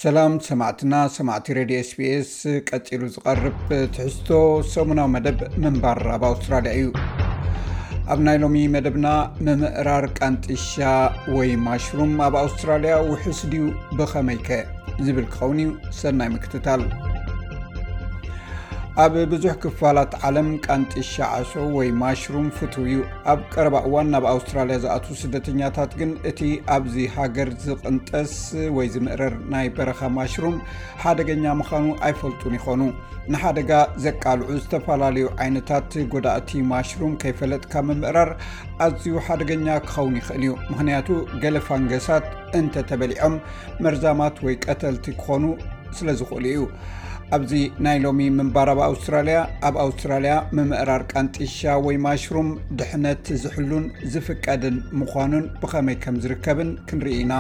ሰላም ሰማዕትና፣ ሰማዕቲ ሬድዮ ኤስቢኤስ። ቀጺሉ ዝቐርብ ትሕዝቶ ሰሙናዊ መደብ ምንባር ኣብ ኣውስትራልያ እዩ። ኣብ ናይ ሎሚ መደብና፣ ምምእራር ቃንጢሻ ወይ ማሽሩም ኣብ ኣውስትራልያ ውሑስ ድዩ፣ ብኸመይከ ዝብል ክኸውን እዩ። ሰናይ ምክትታል። ኣብ ብዙሕ ክፋላት ዓለም ቃንጢሻ ዓሶ ወይ ማሽሩም ፍቱው እዩ። ኣብ ቀረባ እዋን ናብ ኣውስትራልያ ዝኣትዉ ስደተኛታት ግን እቲ ኣብዚ ሃገር ዝቕንጠስ ወይ ዝምእረር ናይ በረኻ ማሽሩም ሓደገኛ ምዃኑ ኣይፈልጡን ይኾኑ። ንሓደጋ ዘቃልዑ ዝተፈላለዩ ዓይነታት ጎዳእቲ ማሽሩም ከይፈለጥካ ምምእራር ኣዝዩ ሓደገኛ ክኸውን ይኽእል እዩ። ምኽንያቱ፣ ገለ ፋንገሳት እንተተበሊዖም መርዛማት ወይ ቀተልቲ ክኾኑ ስለ ዝኽእሉ እዩ። ኣብዚ ናይ ሎሚ ምንባር ኣብ ኣውስትራልያ፣ ኣብ ኣውስትራልያ ምምእራር ቃንጢሻ ወይ ማሽሩም ድሕነት ዝሕሉን ዝፍቀድን ምዃኑን ብኸመይ ከም ዝርከብን ክንርኢ ኢና።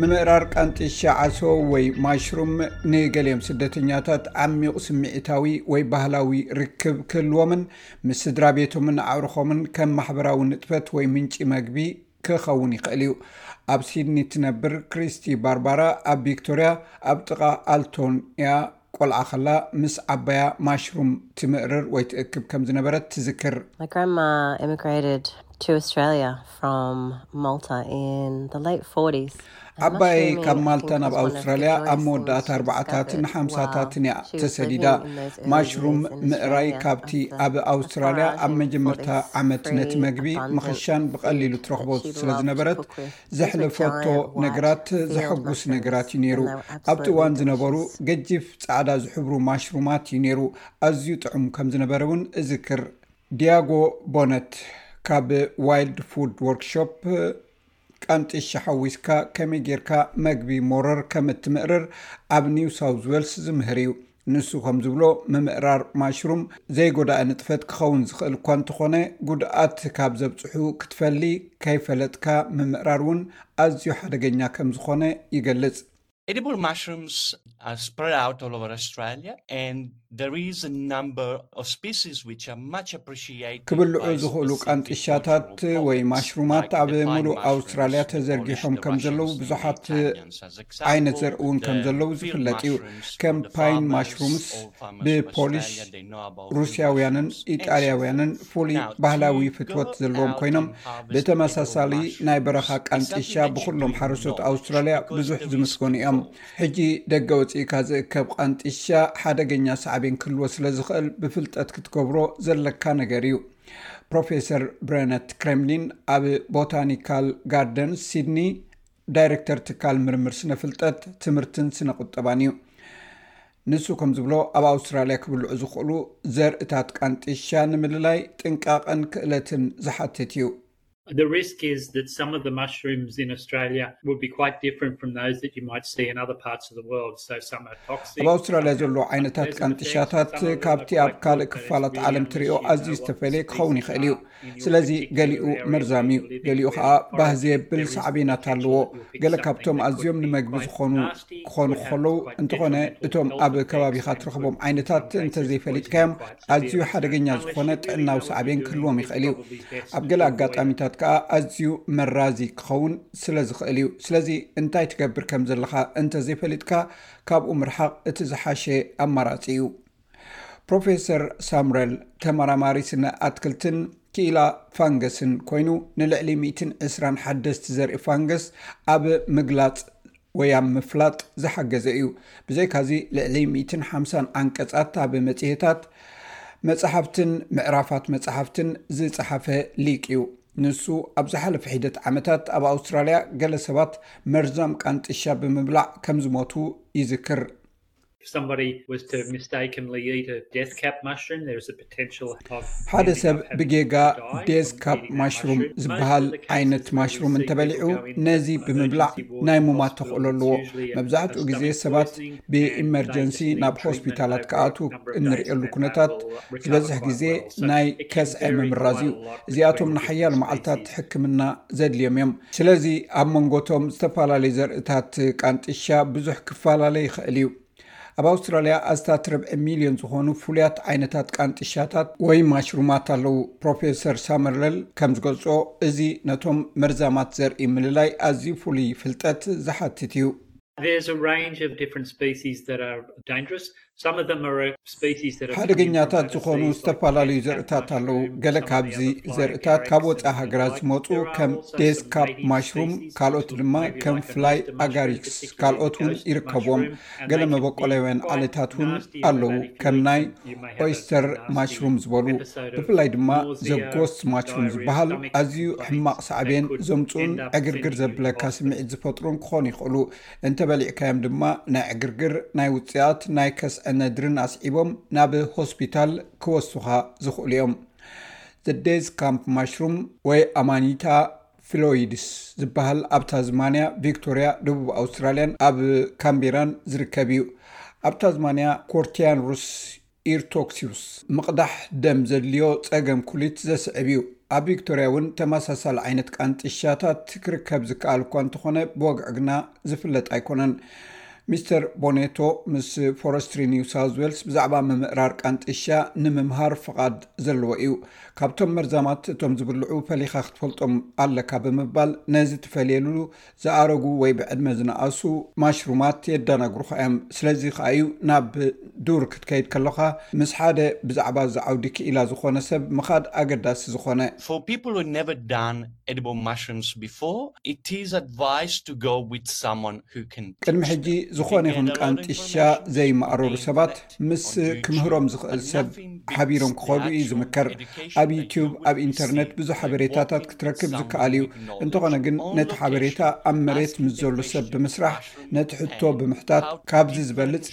ምምእራር ቃንጢሻ ዓሶ ወይ ማሽሩም ንገሊኦም ስደተኛታት ዓሚቕ ስምዒታዊ ወይ ባህላዊ ርክብ ክህልዎምን ምስ ስድራ ቤቶምን ኣዕሩኾምን ከም ማሕበራዊ ንጥፈት ወይ ምንጪ መግቢ ክኸውን ይኽእል እዩ። ኣብ ሲድኒ ትነብር ክሪስቲ ባርባራ ኣብ ቪክቶርያ ኣብ ጥቓ ኣልቶን እያ። ቆልዓ ከላ ምስ ዓባያ ማሽሩም ትምእርር ወይ ትእክብ ከም ዝነበረት ትዝክር። My grandma immigrated to Australia from Malta in the late forties. ዓባየይ ካብ ማልታ ናብ ኣውስትራልያ ኣብ መወዳእታ ኣርባዓታትን ሓምሳታትን እያ ተሰዲዳ። ማሽሩም ምእራይ ካብቲ ኣብ ኣውስትራልያ ኣብ መጀመርታ ዓመት ነቲ መግቢ ምኽሻን ብቐሊሉ ትረኽቦ ስለ ዝነበረት፣ ዘሕለፈቶ ነገራት ዘሐጉስ ነገራት እዩ ነይሩ። ኣብቲ እዋን ዝነበሩ ገጂፍ ጻዕዳ ዝሕብሩ ማሽሩማት እዩ ነይሩ። ኣዝዩ ጥዑም ከም ዝነበረ እውን እዝክር። ዲያጎ ቦነት ካብ ዋይልድ ፉድ ወርክሾፕ፣ ቃንጢሻ ሓዊስካ ከመይ ጌርካ መግቢ ሞረር ከም እትምእርር ኣብ ኒው ሳውዝ ዌልስ ዝምህር እዩ። ንሱ ከም ዝብሎ፣ ምምእራር ማሽሩም ዘይጎዳእ ንጥፈት ክኸውን ዝኽእል እኳ እንተኾነ፣ ጉድኣት ካብ ዘብጽሑ ክትፈሊ ከይፈለጥካ ምምእራር እውን ኣዝዩ ሓደገኛ ከም ዝኾነ ይገልጽ። Edible mushrooms are spread out all over Australia, and there is a number of species which are much appreciated ክብልዑ by ዝኽእሉ specific ቃንጢሻታት cultural ወይ pockets, ማሽሩማት like ኣብ the pine ሙሉእ mushroom ኣውስትራልያ is ተዘርጊሖም Polish ከም ዘለዉ Russians and ብዙሓት Italians, as example, ዓይነት ዘርኢ እውን ከም the ዘለዉ field ዝፍለጥ እዩ። mushrooms ከም from the ፓይን farmers ማሽሩምስ of farmers of ብፖሊሽ፣ Australia, they know about field ሩስያውያንን mushrooms and so ኢጣልያውያንን forth. ፍሉይ Now, ባህላዊ to ፍትወት go ዘለዎም out ኮይኖም፣ and harvest ብተመሳሳሊ edible ናይ በረኻ mushrooms is ቃንጢሻ something that you ብኹሎም do ሓረስቶት not ኣውስትራልያ because ብዙሕ there is ዝምስገኑ እዮም። control. ሕጂ ደገ ወፂእካ ዝእከብ ቃንጢሻ ሓደገኛ ሳዕቤን ክህልዎ ስለ ዝኽእል ብፍልጠት ክትገብሮ ዘለካ ነገር እዩ። ፕሮፌሰር ብረነት ክሬምሊን ኣብ ቦታኒካል ጋርደንስ ሲድኒ ዳይሬክተር ትካል ምርምር ስነ ፍልጠት፣ ትምህርትን ስነ ቁጠባን እዩ። ንሱ ከም ዝብሎ፣ ኣብ ኣውስትራልያ ክብልዑ ዝኽእሉ ዘርእታት ቃንጢሻ ንምልላይ ጥንቃቐን ክእለትን ዝሓትት እዩ። The risk is that some of the mushrooms in Australia would be quite different from those that you might see in other parts of the world. So some are toxic, ኣብ ኣውስትራልያ ዘሎ ዓይነታት ቃንጢሻታት ካብቲ ኣብ ካልእ ክፋላት ዓለም ትሪኦ ኣዝዩ ዝተፈለየ ክኸውን ይኽእል እዩ። ስለዚ ገሊኡ መርዛም እዩ፣ ገሊኡ ከዓ ባህ ዘየብል ሳዕቤናት ኣለዎ። ገለ ካብቶም ኣዝዮም ንመግቢ ዝኾኑ ክኾኑ ከለዉ፣ እንተኾነ እቶም ኣብ ከባቢኻ ትረኽቦም ዓይነታት እንተዘይፈሊጥካዮም ኣዝዩ ሓደገኛ ዝኾነ ጥዕናዊ ሳዕቤን ክህልዎም ይኽእል እዩ። ኣብ ገለ ኣጋጣሚታት ከዓ ኣዝዩ መራዚ ክኸውን ስለ ዝኽእል እዩ። ስለዚ እንታይ ትገብር ከም ዘለኻ እንተዘይፈሊጥካ፣ ካብኡ ምርሓቕ እቲ ዝሓሸ ኣማራጺ እዩ። ፕሮፌሰር ሳምረል ተመራማሪ ስነ ኣትክልትን ክኢላ ፋንገስን ኮይኑ፣ ንልዕሊ ሚእትን ዕስራን ሓደስቲ ዘርኢ ፋንገስ ኣብ ምግላጽ ወይ ኣብ ምፍላጥ ዝሓገዘ እዩ። ብዘይካዚ፣ ልዕሊ ሚእትን ሓምሳን ዓንቀጻት ኣብ መጽሔታት፣ መጽሓፍትን ምዕራፋት መጽሓፍትን ዝጸሓፈ ሊቅ እዩ። ንሱ ኣብ ዝሓለፈ ሒደት ዓመታት ኣብ ኣውስትራልያ ገለ ሰባት መርዛም ቃንጢሻ ብምብላዕ ከም ዝሞቱ ይዝክር። If somebody was to mistakenly eat a death cap mushroom, there is a potential of ሓደ ሰብ ብጌጋ ዴዝ ካብ ማሽሩም ዝበሃል ዓይነት ማሽሩም እንተበሊዑ፣ ነዚ ብምብላዕ ናይ ምማት ተኽእሎ ኣለዎ። መብዛሕትኡ ግዜ ሰባት ብኢመርጀንሲ ናብ ሆስፒታላት ክኣትዉ እንርእየሉ ኩነታት ዝበዝሕ ግዜ ናይ ከስዐ ምምራዝ እዩ። እዚኣቶም ንሓያሎ መዓልታት ሕክምና ዘድልዮም እዮም። ስለዚ ኣብ መንጎቶም ዝተፈላለዩ ዘርእታት ቃንጢሻ ብዙሕ ክፈላለ ይኽእል እዩ። ኣብ ኣውስትራልያ ኣስታት ርብዒ ሚልዮን ዝኾኑ ፍሉያት ዓይነታት ቃንጥሻታት ወይ ማሽሩማት ኣለዉ። ፕሮፌሰር ሳመርለል ከም ዝገልጾ፣ እዚ ነቶም መርዛማት ዘርኢ ምልላይ ኣዝዩ ፍሉይ ፍልጠት ዝሓትት እዩ። There's a range of different species that are dangerous. Some of them are species that are ሓደገኛታት ዝኾኑ ዝተፈላለዩ ዘርእታት ኣለዉ። ገለ ካብዚ ዘርእታት ካብ ወፃኢ ሃገራት ዝመፁ ከም ዴስካፕ ማሽሩም፣ ካልኦት ድማ ከም ፍላይ ኣጋሪክስ፣ ካልኦት እውን ይርከብዎም። ገለ መበቆላውያን ዓሌታት እውን ኣለዉ፣ ከም ናይ ኦይስተር ማሽሩም ዝበሉ። ብፍላይ ድማ ዘጎስት ማሽሩም ዝበሃል ኣዝዩ ሕማቕ ሳዕቤን ዘምፅኡን ዕግርግር ዘብለካ ስምዒት ዝፈጥሩን ክኾኑ ይኽእሉ። እንተበሊዕካዮም ድማ ናይ ዕግርግር፣ ናይ ውፅኣት፣ ናይ ከስዐ ነድርን ኣስዒቦም ናብ ሆስፒታል ክወስዱኻ ዝኽእሉ እዮም። ዘ ዴዝ ካምፕ ማሽሩም ወይ ኣማኒታ ፍሎይድስ ዝበሃል ኣብ ታዝማንያ፣ ቪክቶርያ፣ ደቡብ ኣውስትራልያን ኣብ ካምቤራን ዝርከብ እዩ። ኣብ ታዝማንያ ኮርቲያን ሩስ ኢርቶክሲዩስ ምቕዳሕ ደም ዘድልዮ ጸገም ኩሊት ዘስዕብ እዩ። ኣብ ቪክቶርያ እውን ተመሳሳሊ ዓይነት ቃንጥሻታት ክርከብ ዝከኣል እኳ እንተኾነ፣ ብወግዒ ግና ዝፍለጥ ኣይኮነን። ሚስተር ቦኔቶ ምስ ፎረስትሪ ኒው ሳውዝ ዌልስ ብዛዕባ ምምእራር ቃንጥሻ ንምምሃር ፍቓድ ዘለዎ እዩ። ካብቶም መርዛማት እቶም ዝብልዑ ፈሊኻ ክትፈልጦም ኣለካ ብምባል ነዚ ትፈልየሉ ዝኣረጉ ወይ ብዕድመ ዝነኣሱ ማሽሩማት የደናግሩኻ እዮም። ስለዚ ከኣ እዩ ናብ ዱር ክትከይድ ከለኻ ምስ ሓደ ብዛዕባ እዚ ዓውዲ ክኢላ ዝኾነ ሰብ ምኻድ ኣገዳሲ ዝኾነ። For people who've never done edible mushrooms before, it is advised to go with someone who can ቅድሚ ሕጂ ዝኾነ ይኹን ቃንጥሻ ዘይመኣረሩ ሰባት ምስ ክምህሮም ዝኽእል ሰብ ሓቢሮም ክኸዱ እዩ ዝምከር። ኣብ ዩቲዩብ፣ ኣብ ኢንተርነት ብዙሕ ሓበሬታታት ክትረክብ ዝከኣል እዩ። እንተኾነ ግን ነቲ ሓበሬታ ኣብ መሬት ምስ ዘሎ ሰብ ብምስራሕ፣ ነቲ ሕቶ ብምሕታት ካብዚ ዝበልጽ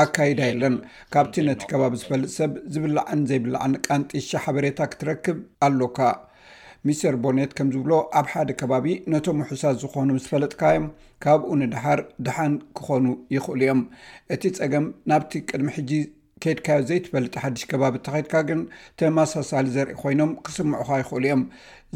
ኣካይዳ የለን። ካብቲ ነቲ ከባቢ ዝፈልጥ ሰብ ዝብላዕን ዘይብላዕን ቃንጥሻ ሓበሬታ ክትረክብ ኣሎካ። ሚስተር ቦኔት ከም ዝብሎ፣ ኣብ ሓደ ከባቢ ነቶም ውሑሳት ዝኾኑ ምስ ፈለጥካዮም፣ ካብኡ ንደሓር ደሓን ክኾኑ ይኽእሉ እዮም። እቲ ጸገም ናብቲ ቅድሚ ሕጂ ከይድካዮ ዘይትፈልጥ ሓድሽ ከባቢ እንተኸይድካ ግን ተመሳሳሊ ዘርኢ ኮይኖም ክስምዑኻ ይኽእሉ እዮም።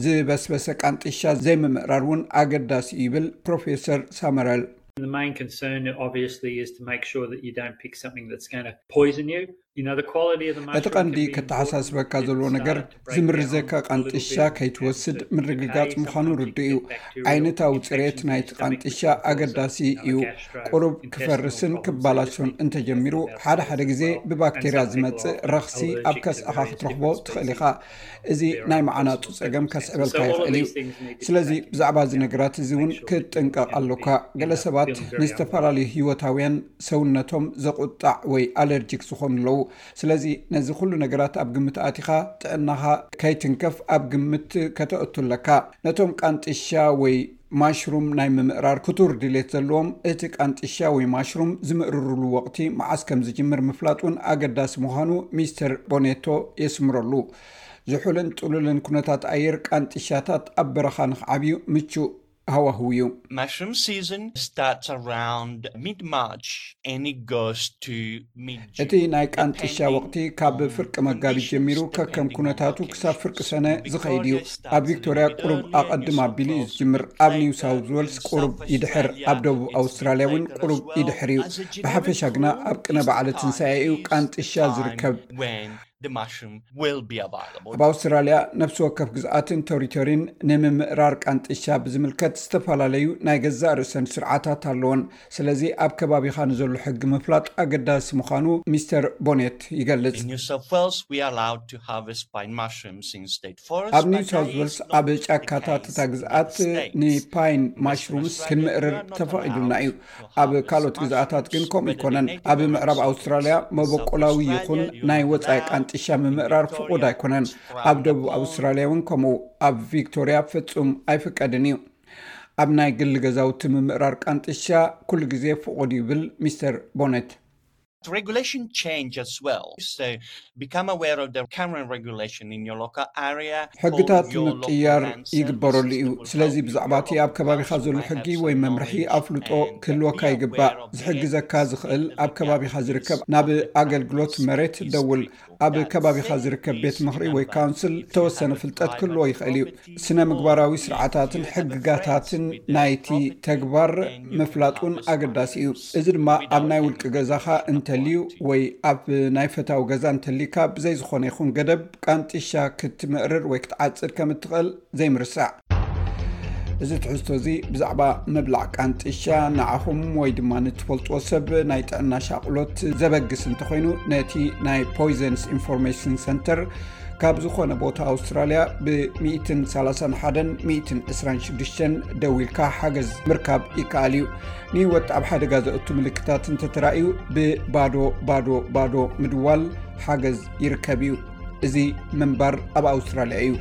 ዝበስበሰ ቃንጥሻ ዘይምምእራር እውን ኣገዳሲ እዩ ይብል ፕሮፌሰር ሳመረል። The main concern obviously is to make sure that you don't pick something that's going to poison you. You know, the quality of the እቲ ቀንዲ ከተሓሳስበካ ዘለዎ ነገር ዝምርዘካ ቃንጥሻ ከይትወስድ ምርግጋጽ ምዃኑ ርዱእ እዩ። ዓይነታዊ ጽሬት ናይቲ ቃንጥሻ ኣገዳሲ እዩ። ቁሩብ ክፈርስን ክባላሾን እንተጀሚሩ፣ ሓደ ሓደ ግዜ ብባክቴርያ ዝመጽእ ረኽሲ ኣብ ከስዕኻ ክትረኽቦ ትኽእል ኢኻ። እዚ ናይ መዓናጡ ጸገም ከስዕበልካ ይኽእል እዩ። ስለዚ ብዛዕባ እዚ ነገራት እዚ እውን ክትጥንቀቕ ኣሎካ። ገለ ሰባት ንዝተፈላለዩ ህይወታውያን ሰውነቶም ዘቑጣዕ ወይ ኣለርጂክ ዝኾኑ ኣለዉ። ስለዚ ነዚ ኩሉ ነገራት ኣብ ግምት ኣቲኻ ጥዕናኻ ከይትንከፍ ኣብ ግምት ከተእቱ ኣለካ። ነቶም ቃንጥሻ ወይ ማሽሩም ናይ ምምእራር ክቱር ድሌት ዘለዎም፣ እቲ ቃንጥሻ ወይ ማሽሩም ዝምእርሩሉ ወቕቲ መዓስ ከም ዝጅምር ምፍላጥ እውን ኣገዳሲ ምዃኑ ሚስተር ቦኔቶ የስምረሉ። ዝሑልን ጥሉልን ኩነታት ኣየር ቃንጥሻታት ኣብ በረኻ ንኽዓብዩ ምቹእ ሃዋህው እዩ። Mushroom season starts around mid-March and it goes to mid-June. እቲ ናይ ቃንጥሻ ወቕቲ ካብ ፍርቂ መጋቢት ጀሚሩ ከከም ኩነታቱ ክሳብ ፍርቂ ሰነ ዝኸይድ እዩ። ኣብ ቪክቶርያ ቁሩብ ኣቐድም ኣቢሉ እዩ ዝጅምር። ኣብ ኒው ሳውዝ ዌልስ ቁሩብ ይድሕር፣ ኣብ ደቡብ ኣውስትራልያ እውን ቁሩብ ይድሕር እዩ። ብሓፈሻ ግና ኣብ ቅነ በዓለ ትንሳኤ እዩ ቃንጥሻ ዝርከብ። When the mushroom will be available. ኣብ ኣውስትራልያ ነፍሲ ወከፍ ግዝኣትን ቴሪቶሪን ንምምእራር ቃንጥሻ ብዝምልከት ዝተፈላለዩ ናይ ገዛእ ርእሰን ስርዓታት ኣለወን። ስለዚ ኣብ ከባቢኻ ንዘሎ ሕጊ ምፍላጥ ኣገዳሲ ምዃኑ ሚስተር ቦኔት ይገልጽ። In New South Wales, we are allowed to harvest pine mushrooms in state forest. ኣብ ኒው ሳውዝ ዌልስ ኣብ ጫካታት እታ ግዝኣት ንፓይን ማሽሩምስ ክንምእርር ተፈቒዱልና እዩ። ኣብ ካልኦት ግዝኣታት ግን ከምኡ ኣይኮነን። ኣብ ምዕራብ ኣውስትራልያ መበቆላዊ ይኹን ናይ ወጻኢ ቃንጥሻ ምምእራር ፍቑድ ኣይኮነን። ኣብ ደቡብ ኣውስትራልያ እውን ከምኡ። ኣብ ቪክቶርያ ፍጹም ኣይፍቀድን እዩ። ኣብ ናይ ግሊ ገዛውቲ ምምእራር ቃንጥሻ ኩሉ ግዜ ፍቑድ እዩ ይብል ሚስተር ቦኔት። Regulation change as well. So become aware of the current regulation in your local area. ሕግታት ምቅያር ይግበረሉ እዩ። ስለዚ ብዛዕባ እቲ ኣብ ከባቢኻ ዘሎ ሕጊ ወይ መምርሒ ኣፍልጦ ክህልወካ ይግባእ። ዝሕግዘካ ዝኽእል ኣብ ከባቢኻ ዝርከብ ናብ ኣገልግሎት መሬት ደውል። ኣብ ከባቢኻ ዝርከብ ቤት ምኽሪ ወይ ካውንስል ተወሰነ ፍልጠት ክህልዎ ይኽእል እዩ። ስነ ምግባራዊ ስርዓታትን ሕግጋታትን ናይቲ ተግባር ምፍላጥ እውን ኣገዳሲ እዩ። እዚ ድማ ኣብ ናይ ውልቂ ገዛኻ እንተ እንተልዩ ወይ ኣብ ናይ ፈታዊ ገዛ እንተሊካ፣ ብዘይ ዝኾነ ይኹን ገደብ ቃንጢሻ ክትምእርር ወይ ክትዓጽድ ከም እትኽእል ዘይምርሳዕ። እዚ ትሕዝቶ እዚ ብዛዕባ ምብላዕ ቃንጢሻ ንዓኹም ወይ ድማ ንትፈልጥዎ ሰብ ናይ ጥዕና ሻቕሎት ዘበግስ እንተኾይኑ፣ ነቲ ናይ ፖይዘንስ ኢንፎርሜሽን ሰንተር ካብ ዝኾነ ቦታ ኣውስትራልያ ብ ሚእትን ሰላሳን ሓደን ሚእትን ዕስራን ሽዱሽተን ደዊልካ ሓገዝ ምርካብ ይከኣል እዩ። ንህይወት ኣብ ሓደጋ ዘእቱ ምልክታት እንተተራእዩ፣ ብባዶ ባዶ ባዶ ምድዋል ሓገዝ ይርከብ እዩ። እዚ ምንባር ኣብ ኣውስትራልያ እዩ።